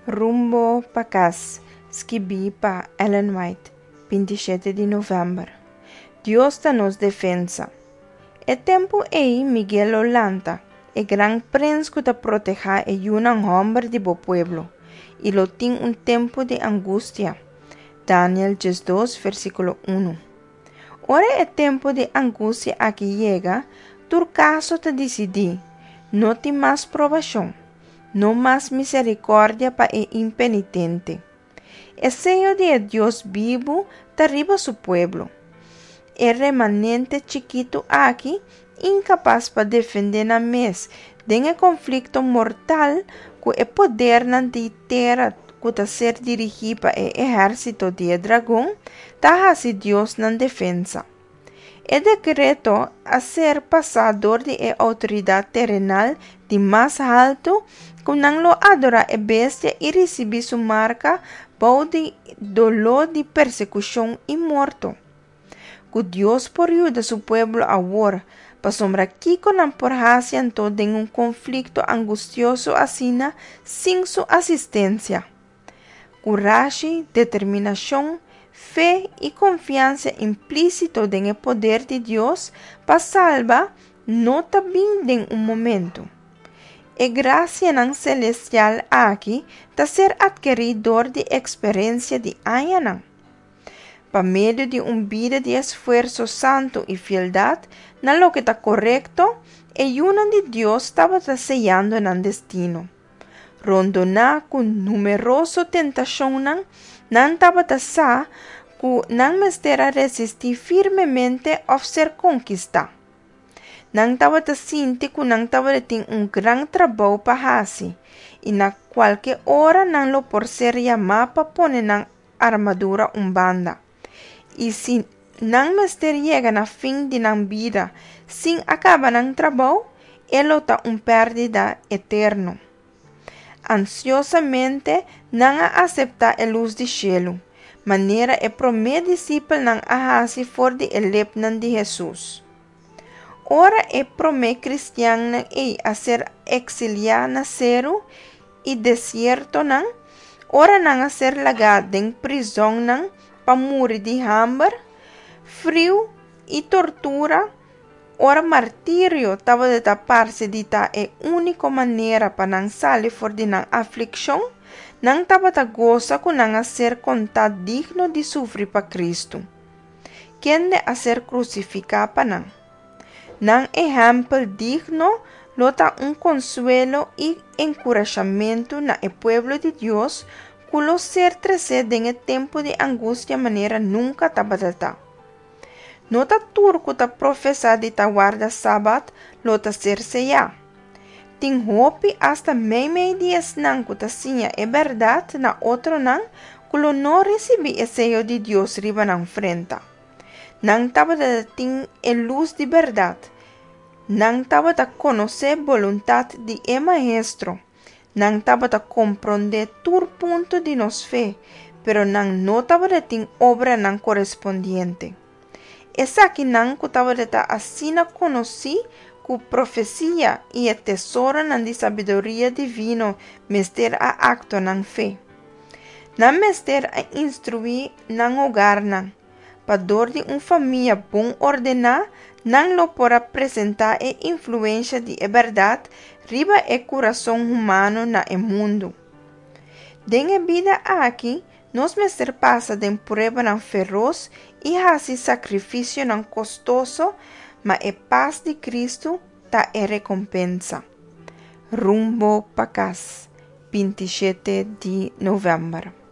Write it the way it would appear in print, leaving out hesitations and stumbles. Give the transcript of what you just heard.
Rumbo pa kas, skibí pa Ellen White, 27 di novèmber. Dios ta nos defensa. E tempu ei Miguel lo lanta, e gran prens ku ta protehá e yunan hòmber di bo pueblo, i lo tin un tempu di angustia. Daniel 12, versíkulo 1. Ora e tempu di angustia aki yega, tur kaso ta disidí, no tin mas probashon. No mas miserikòrdia pa e impenitente. E seyo di e Dios bibu ta riba su pueblo. E remanente chikitu aki, inkapas pa defendé nan mes den e konflikto mortal ku e podernan di tera ku ta ser dirigí pa e ehérsito di e dragon, ta hasi Dios nan defensa. E dekreto a ser pasá dor di e outoridat terenal di mas haltu ku nan lo adorá e bestia i risibí su marka bou di doló di persekushon i morto. Ku Dios por yuda su pueblo awor, pasobra kiko nan por hasi anto den un konflikto angustioso asina sin su asistensia? Kurashi, determinashon, fe i konfiansa implísito den e poder di Dios pa salba no ta bin den un momentu. E grasianan selestial aki ta ser atkerí dor di eksperensia di añanan. Pa medio di un bida di esfuerso santu i fieldat na loke ta korekto, e yunan di Dios tabata seyando nan destino. Rondoná ku numeroso tentashonnan, nan tabata sa ku nan mester a resistí firmemente òf ser konkistá. Nan tabata sinti ku nan tabatin un gran trabou pa hasi i na kualke ora nan lo por ser yamá pa pone nan armadura un banda. I si nan mester yega na fin di nan bida sin a kaba nan trabou, e lo ta un pèrdida eterno. Ansiosamente nan a aseptá e lus di shelu, manera e promé disipelnan a hasi for di e lepnan di Hesus. Ora e promé kristiannan ei a ser eksiliá na seru i desiertonan, ora nan a ser lagá den prizònnan pa muri di hamber, friu i tortura, Ora martirio tabata parse di ta e úniko manera pa nan sali for di nan aflikshon, nan tabata gosa ku nan a ser kontá digno di sufri pa Kristu, kende a ser krusifiká pa nan. Nan ehèmpel digno lo ta un konsuelo i enkurashamentu na e pueblo di Dios ku lo ser tresé den e tempu di angustia manera nunka tabata ta. No ta tur ku ta profesá di ta warda Sabat lo ta ser seyá. Tin hopi asta meimei di esnan ku ta siña e bèrdat na otronan ku lo no risibí e seyo di Dios riba nan frenta. Nan tabata tin e lus di bèrdat. Nan tabata konosé boluntat di e Maestro. Nan tabata komprondé tur punto di nos fe, pero nan no tabatin obranan korespondiente. Esakinan ku tabata asina konosí ku profesia i e tesoronan di sabiduria divino mester a aktua nan fe. Nan mester a instruí nan hogarnan, pa dor di un famia bon ordená nan lo por a presentá e influensha di e bèrdat riba e kurason humano na e mundu. Den e bida aki nos mester pasa den pruebanan feros i hasi sakrifisionan kostoso, ma e pas di Kristu ta e rekompensa. Rumbo pa kas, 27 di novèmber.